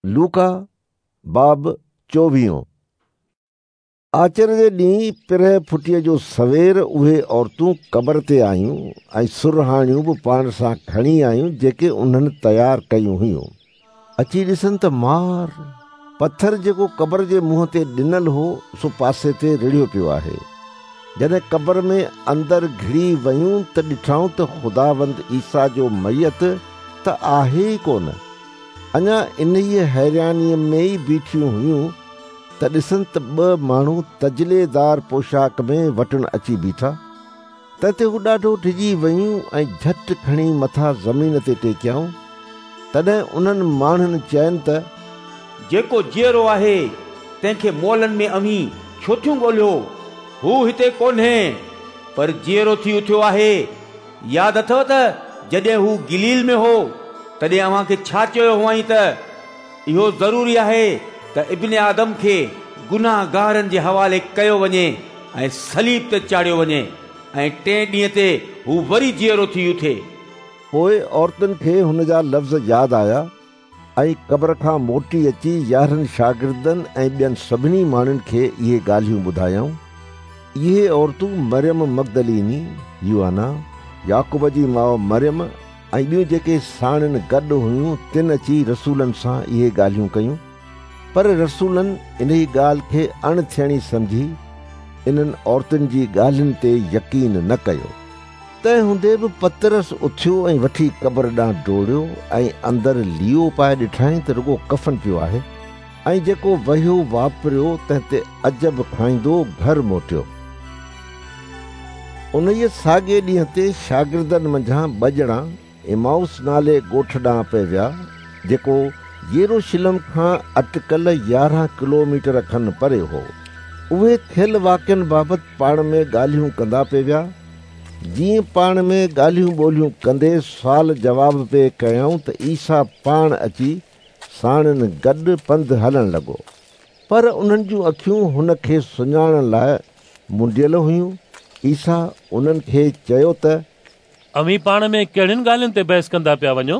لوڪا، باب چوويهون. آچر جي ڏينهن پرهه ڦٽيء جو سوير اهي عورتون قبر تي آيون ۽ سرهاڻيون به پاڻ سان کڻي آيون جيڪي انهن تيار ڪيون هيون. اچي ڏسن ته مار، پٿر جيڪو قبر جي منهن تي ڏنل هو سو پاسي تي رڙهيو پيو آهي. جڏهن قبر ۾ اندر گهڙي ويون ته ڏٺائون ته خداوند عيسيٰ جو ميت ته آهي ئي ڪونه. اڃا انهيء حيرانيء ۾ ئي بيٺيون هيون ته ڏسن ته ٻه ماڻهو تجليدار پوشاڪ ۾ وٽن اچي بيٺا. تنهن تي هو ڏاڍو ڊڄي ويون ۽ جهٽ کڻي مٿا زمين تي ٽيڪيائون. تڏهن انهن ماڻهن چين ته. جيڪو جيئرو آهي، تنهن کي مئلن ۾ اوهين ڇو ٿيون ڳولهيو؟ هو هتي ڪونهي، پر جيئرو ٿي اٿيو آهي. ياد اٿو ته جڏهن هو گليل ۾ هو، تڏهن اوهان کي ڇا چيو هئائين ته، اهو ضروري آهي ته ابن آدم کي گنهگارن جي حوالي ڪيو وڃي ۽ صليب تي چاڙهيو وڃي ۽ ٽئين ڏينهن تي هو وري جيئرو ٿي اٿي. پوء عورتن کي هن جا لفظ ياد آيا ۽ قبر کان موٽي اچي يارهن شاگردن ۽ ٻين سڀني ماڻهن کي اهي ڳالهيون ٻڌايائون. اهي عورتون مريم مگدليني، يوحنا، يعقوب جي ماء مريم ۽ ٻيون جيڪي ساڻن گڏ هيون تن اچي رسولن سان اهي ڳالهيون ڪيون. پر رسولن انهي ڳالهه کي اڻ ٿيڻي سمجهي انهن عورتن جي ڳالهين تي يقين نه ڪيو. تنهن هوندي به پطرس اٿيو ۽ وٺي قبر ڏانهن ڊوڙيو ۽ اندر ليئو پائي ڏٺائين ته رڳو ڪفن پيو آهي ۽ جيڪو وهيو واپريو تنهن تي عجب کائيندو گهر موٽيو. انهيء ساڳئي ڏينهن تي شاگردن منجهان ٻه ڄڻا عمائوس نالي ڳوٺ ڏانهن پئي ويا، جيڪو يروشلم کان اٽڪل 11 ڪلوميٽر کن پري هو. اهي ٿيل واقعن بابت پاڻ ۾ ڳالهيون ڪندا پئي ويا. جيئن پاڻ ۾ ڳالهيون ٻولهيون ڪندي سوال جواب پئي ڪيائون ته عيسيٰ پاڻ اچي ساڻن گڏ پنڌ هلڻ لڳو. پر انهن جون اکيون هن کي سڃاڻڻ لاء منڊيل هيون. عيسيٰ انهن کي چيو ته. اوهين پاڻ ۾ ڪهڙين ڳالهين تي بحث ڪندا پيا وڃو؟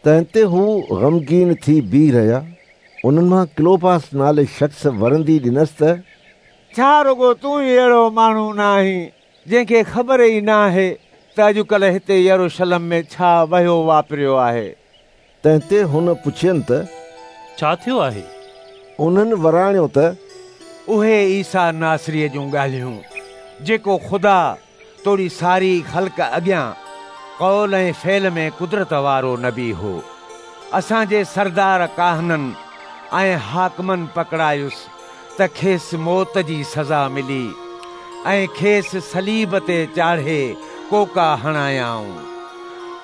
تنهن تي هو غمگين ٿي بيهي رهيا. انهن مان ڪلوپاس نالي شخص ورندي ڏنس ته. ڇا رڳو تون ئي اهڙو ماڻهو نه آهين، جنهن کي خبر ئي نه آهي ته اڄڪلهه هتي يروشلم ۾ ڇا وهيو واپريو آهي؟ تنهن تي هن پڇين ته. ڇا ٿيو آهي؟ انهن وراڻيو ته. اهي عيسيٰ ناصريء جون ڳالهيون، جيڪو خدا توڙي ساري خلق اڳيان قول ۽ فعل ۾ قدرت وارو نبي هو. اسان جي سردار ڪاهنن ۽ حاڪمن پڪڙايس ته کيس موت جي سزا ملي ۽ کيس صليب تي چاڙهي ڪوڪا هڻايائون.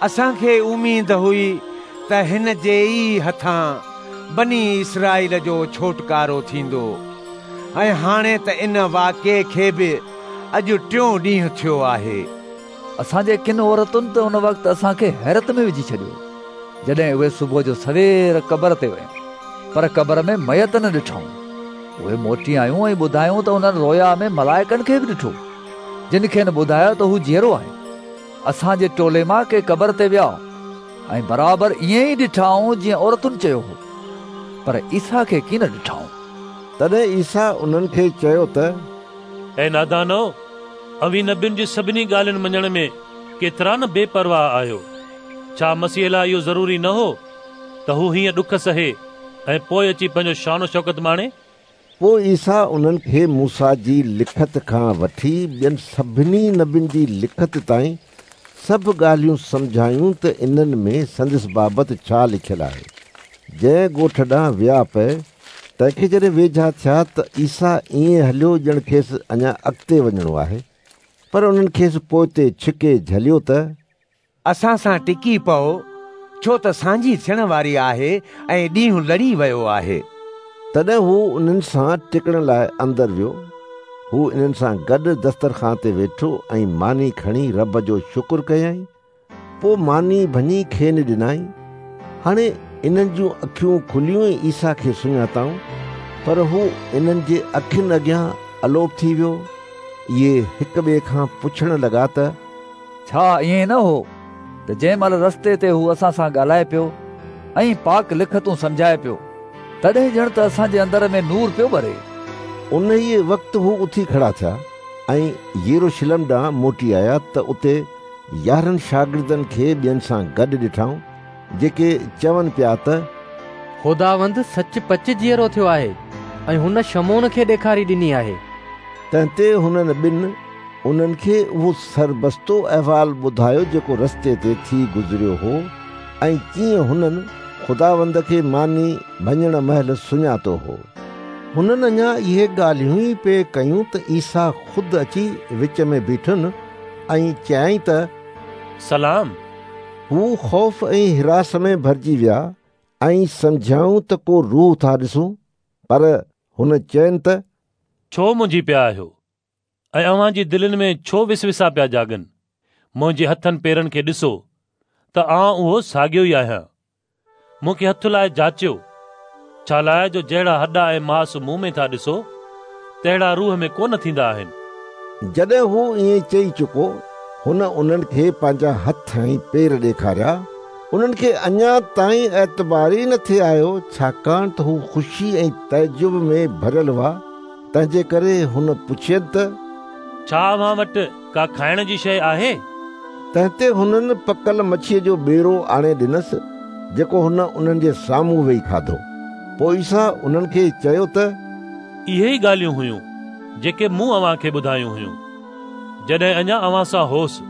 اسان کي اميد هئي ته هن جي ئي هٿان بني اسرائيل جو ڇوٽڪارو ٿيندو ۽ هاڻي ته ان واقعي کي به اڄ ٽيون ڏينهن ٿيو آهي. اسان جي ڪن عورتن ته ان وقت اسان کي حيرت ۾ وجهي ڇڏيو، جڏهن اهي صبح جو سوير قبر تي ويون، پر قبر ۾ ميت نه ڏٺائون. اهي موٽي آيون ۽ ٻڌايائون ته انهن رويا ۾ ملائڪن کي به ڏٺو، جن کين ٻڌايو ته هو جيئرو آهي. اسان جي ٽولي مان ڪي قبر تي ويا ۽ برابر ائين ئي ڏٺائون جيئن عورتن چيو هو، پر عيسيٰ کي ڪين ڏٺائون. تڏهن عيسيٰ انهن کي چيو ته. اي نادانؤ! اوهين نبين جي سڀني ڳالهين مڃڻ ۾ ڪيترا نه بي پرواهه آهيو! ڇا مسيح لاء اهو ضروري نه هو ته هو هيئن ڏک سهي ۽ پوء اچي پنهنجو شان و شوڪت ماڻي؟ پوء عيسيٰ انهن کي موسيٰ جي لکت کان وٺي ٻين سڀني نبين جي لکت تائين سڀ ڳالهيون سمجهايون ته انهن ۾ سندس بابت ڇا لکيل آهي. جنهن ڳوٺ ڏانهن ويا پئي، تنهن کي جڏهن ويجها ٿيا ته عيسيٰ ائين هليو ڄڻ کيس اڃا اڳتي وڃڻو آهي، پر انهن کيس پوئتي ڇڪي جهليو ته. اسان سان ٽڪي پئو، ڇو ته سانجهي ٿيڻ واري آهي ۽ ڏينهن لڙي ويو آهي. تڏهن هو انهن سان ٽڪڻ لاء اندر ويو. هو انهن سان گڏ دسترخوان تي ويٺو ۽ ماني کڻي رب جو شڪر ڪيائين. پوء ماني ڀڃي کين ڏنائين. هاڻي انهن جون اکيون کليون ۽ عيسيٰ کي سڃاتائون، پر هو انهن جي اکين اڳيان الوپ ٿي ويو. اهي هڪ ٻئي کان پڇڻ لڳا ته. ڇا ائين نه هو ته جنهن مهل رستي تي هو اسان سان ڳالهائي پيو ۽ پاڪ لکتون سمجهائي پيو، تڏهن ڄڻ ته اسان جي اندر ۾ نور پيو ٻري. انهيء وقت هو اٿي کڙا ٿيا ۽ يروشلم ڏانهن موٽي آيا ته اتي 11 شاگردن کي ٻين سان گڏ ڏٺائون، جيڪي چون پيا ته خداوند سچ پچ جيئرو ٿيو آهي ۽ هن شمعون کي ڏيکاري ڏني آهي. تنهن تي هنن ٻن انهن کي اهو سربستو احوال ٻڌايو جيڪو رستي تي ٿي گذريو هو ۽ ڪيئن هنن خداوند کي ماني ڀڃڻ مهل سڃاتو هو. هنن اڃا اهي ڳالهيون ئي پئي ڪيون ته عيسيٰ خود اچي وچ ۾ بيٺن ۽ چيائين ته سلام. هو خوف ۽ هراس ۾ ڀرجي ويا ۽ سمجهيائون ته ڪو روح ٿا ڏسون. پر هن چين ته ڇو منجهي پيا آهيو ۽ اوهان جي دلين ۾ ڇو وسوسا پيا جاڳن؟ منهنجي هٿن پيرن کي ڏسو ته آئون اهو ساڳيو ئي آهيان. مون کي هٿ لائي جاچيو، ڇالاء جو جهڙا هڏا ۽ ماس مون ۾ ٿا ڏسو، تهڙا روح ۾ ڪونه ٿيندا آهن. جڏهن هو ائين چئي چڪو، هن انهن کي پنهنجا هٿ ۽ پير ڏيکاريا. انهن کي اڃا تائين اعتبار ئي نه ٿي آيو، ڇاڪاڻ ته هو خوشي ۽ تعجب ۾ ڀريل هئا، تنهنجي ڪري هن پڇين ته ڇا اوهان وٽ ڪا کائڻ جي شيء آهي؟ تنهن تي هنن پڪل مڇيء جو ٻيرو آڻي ڏنس، جيڪو هن انهن جي سامهون ويهي کاڌو. پوء عيسيٰ انهن کي چيو ته اهي ئي ڳالهيون هيون، جيڪي مون اوهان کي ٻڌايون هيون، جڏهن اڃا اوهان سان هوس،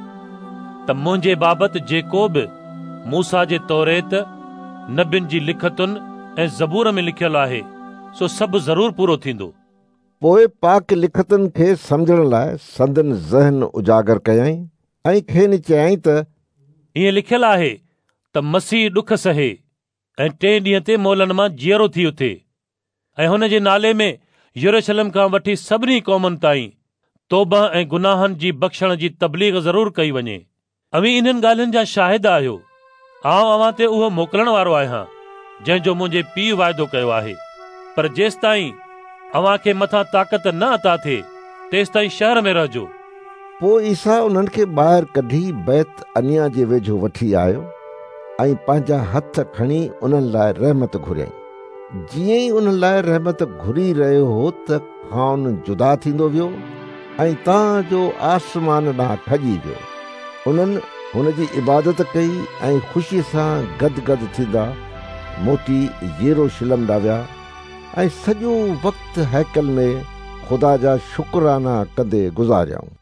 ته منهنجي بابت جيڪو به موسيٰ جي توريت، نبين جي لکتن ۽ زبور ۾ لکيل آهي، سو سڀ ضرور پورو ٿيندو. پوء پاڪ لکتن کي سمجهڻ لاء سندن ذهن اجاگر ڪيائين ۽ کين چيائين ته ائين لکيل آهي ته مسيح ڏک سهي ۽ ٽئين ڏينهن تي مئلن مان جيئرو ٿي اٿي ۽ هن جي نالي ۾ يروشلم کان وٺي سڀني قومن تائين توبه ۽ گناهن جي بخشڻ جي تبليغ ضرور ڪئي وڃي. اوهين انهن ڳالهين جا شاهد آهيو. آئون اوهان تي اهو موڪلڻ وارو آهيان، جنهن جو منهنجي پيء واعدو ڪيو آهي. پر جيستائين اوهان کي مٿان طاقت نه عطا ٿئي، تيستائين شهر ۾ رهجو. پوء عيسيٰ انهن کي ٻاهر ڪڍي بيت عنيا جي ويجهو وٺي آيو ۽ پنهنجا هٿ کڻي انهن لاء رحمت گهريائين. جيئن ئي انهن لاء رحمت گهري رهيو هو ته کانئن جدا ٿيندو ويو ۽ تان جو آسمان ڏانهن کڄي ويو. انهن هن جي عبادت ڪئي ۽ خوشيء سان گدگد ٿيندا موٽي يروشلم ڏانهن ويا ۽ سڄو وقت هيڪل ۾ خدا جا شڪرانا ڪندي گذاريائون.